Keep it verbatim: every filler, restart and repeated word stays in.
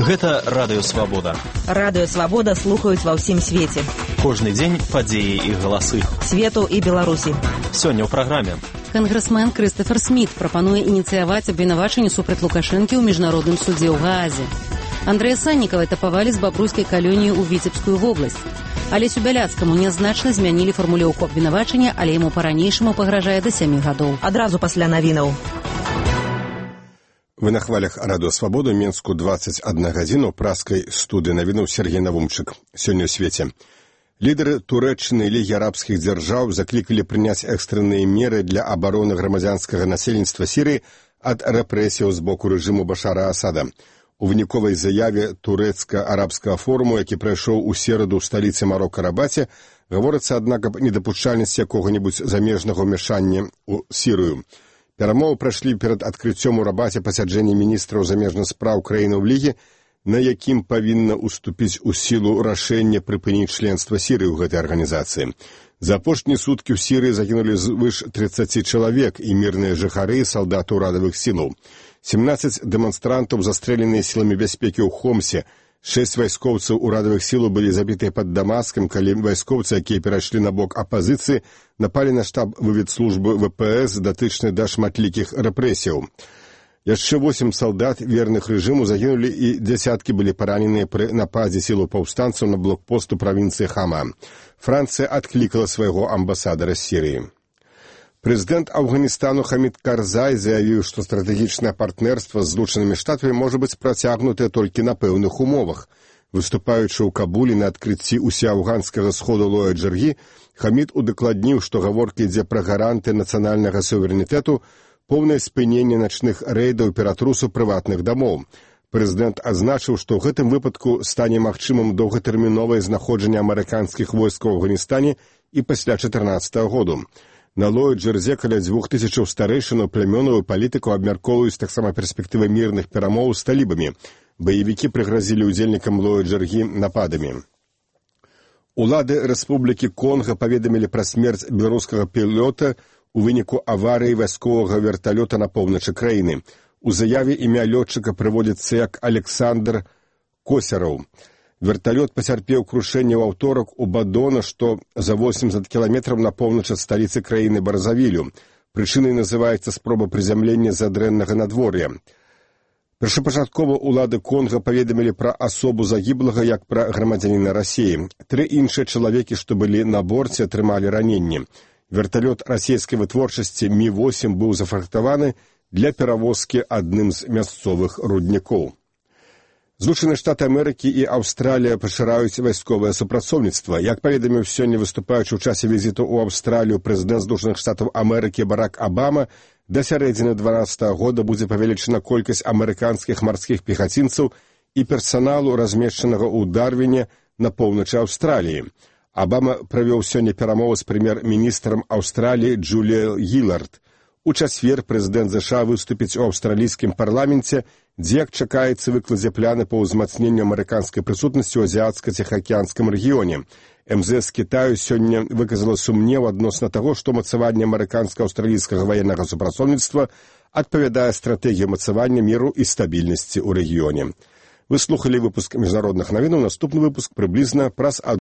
Гэта Радыё Свабода. Радыё Свабода слухаюць ва ўсім свеце. Кожны дзень падзеі і галасы. Свету і Беларусі. Сёння ў праграме. Кангрэсмен Крыстафер Сміт прапануе ініцыяваць абвінавачанне супраць Лукашэнкі ў міжнародным судзе ў Гаазе. Андрэя Саннікава этапавалі з бабруйскай калоніі ў Віцебскую вобласць. Алесю Бяляцкаму нязначна змянілі фармулёўку абвінавачання, але яму па-ранейшаму пагражае да сямі гадоў. Адразу пасля навінаў. Вы на хвалях Радыё Свабода, Менску двадцать одна гадзіна, праскай студыі навінаў Сергей Навумчык. Сёння ў свеце. Лідары Турэччыны і Лігі арабскіх дзяржаў заклікалі прыняць экстрэнныя меры для абароны грамадзянскага насельніцтва Сірыі ад рэпрэсіяў з боку рэжыму Башара Асада. У выніковай заяве турэцка-арабскага форуму, які прайшоў у сераду ў сталіцы Марока Рабаце, гаворыцца, аднак, аб недапушчальнасці якога-небудзь замежнага ўмяшання ў Сірыю. Перамовы прайшлі перад адкрыццём у Рабаце пасяджэння міністраў замежных спраў краінаў Лігі, на якім павінна ўступіць у сілу рашэнне прыпыніць членства Сірыі ў гэтай арганізацыі. За апошнія суткі ў Сірыі загінулі звыш тридцати чалавек і мірныя жыхары і салдаты ўрадавых сілаў. семнадцать дэманстрантаў застрэленыя сіламі бяспекі ў Хомсе. Шэсць вайскоўцаў урадавых сілаў былі забітыя пад Дамаскам, калі вайскоўцы, якія перайшлі на бок апазіцыі, напалі на штаб выведслужбы вэ пэ эс, датычны да шматлікіх рэпрэсіяў. Яшчэ восемь салдат верных рэжыму загінулі і дзясяткі былі параненыя пры нападзе сілаў паўстанцаў на блокпост у правінцыі Хама. Францыя адклікала свайго амбасадара з Сірыі. Прэзідэнт Афганістану Хамід Карзай заявіў, што стратэгічнае партнерства з Злучанымі Штатамі можа быць працягнутае толькі на пэўных умовах. Выступаючы ў Кабулі на адкрыцці усеафганскага сходу Лоя Джаргі, Хамід удакладніў, што гаворка ідзе пра гаранты нацыянальнага суверэнітэту, поўнае спыненне начных рэйдаў ператрусу прыватных дамоў. Прэзідэнт азначыў, што ў гэтым выпадку стане магчымым доўгатэрміновае знаходжанне амерыканскіх войскаў у Афганістане і пасля чатырнаццатага году. На Лоя Джарзе каля дзвюх тысячаў старэйшынаў плямёнаў і палітыкаў абмяркоўваюць таксама перспектывы мірных перамоў з талібамі. Баевікі прыгразілі ўдзельнікам Лоя Джаргі нападамі. Улады Рэспублікі Конга паведамілі пра смерць беларускага пілота у выніку аварыі вайсковага верталёта на поўначы краіны. У заяве імя лётчыка прыводзіцца як Александр Косяраў. Верталёт пацярпеў крушэнне ў аўторак у Бадона, што за восемьдесят кіламетраў на поўнач ад сталіцы краіны Барзавілю. Прычынай называецца спроба прызямлення з-за дрэннага надвор'я. Першапачаткова ўлады Конга паведамілі пра асобу загіблага як пра грамадзяніна Расіі. Тры іншыя чалавекі, што былі на борце, атрымалі раненні. Верталёт расійскай вытворчасці Мі восемь быў зафрахтаваны для перавозкі адным з мясцовых руднікоў. Злучаныя Штаты Амерыкі і Аўстралія пашыраюць вайсковае супрацоўніцтва. Як паведаміў сёння выступаючы ў часе візіту ў Аўстралію прэзідэнт Злучаных Штатаў Амерыкі Барак Абама, да сярэдзіны дванаццатага года будзе павелічана колькасць амерыканскіх марскіх пехацінцаў і персаналу, размешчанага ў Дарвіне на поўначы Аўстраліі. Абама правёў сёння перамовы з прэм'ер-міністрам Аўстраліі Джуліяй Гілард. У чацвер прэзідэнт ЗША выступіць у аўстралійскім парламенце, дзе, як чакаецца, выкладзе пляны па ўзмацненню амерыканскай прысутнасці ў азіятска-ціхаакіянскім рэгіёне. эм зэ эс Кітаю сёння выказала сумнеў адносна таго, што мацаванне амерыканска-аўстралійскага ваеннага супрацоўніцтва адпавядае стратэгіі мацавання міру і стабільнасці ў рэгіёне. Вы слухалі выпуск міжнародных навінаў. Наступны выпуск прыблізна праз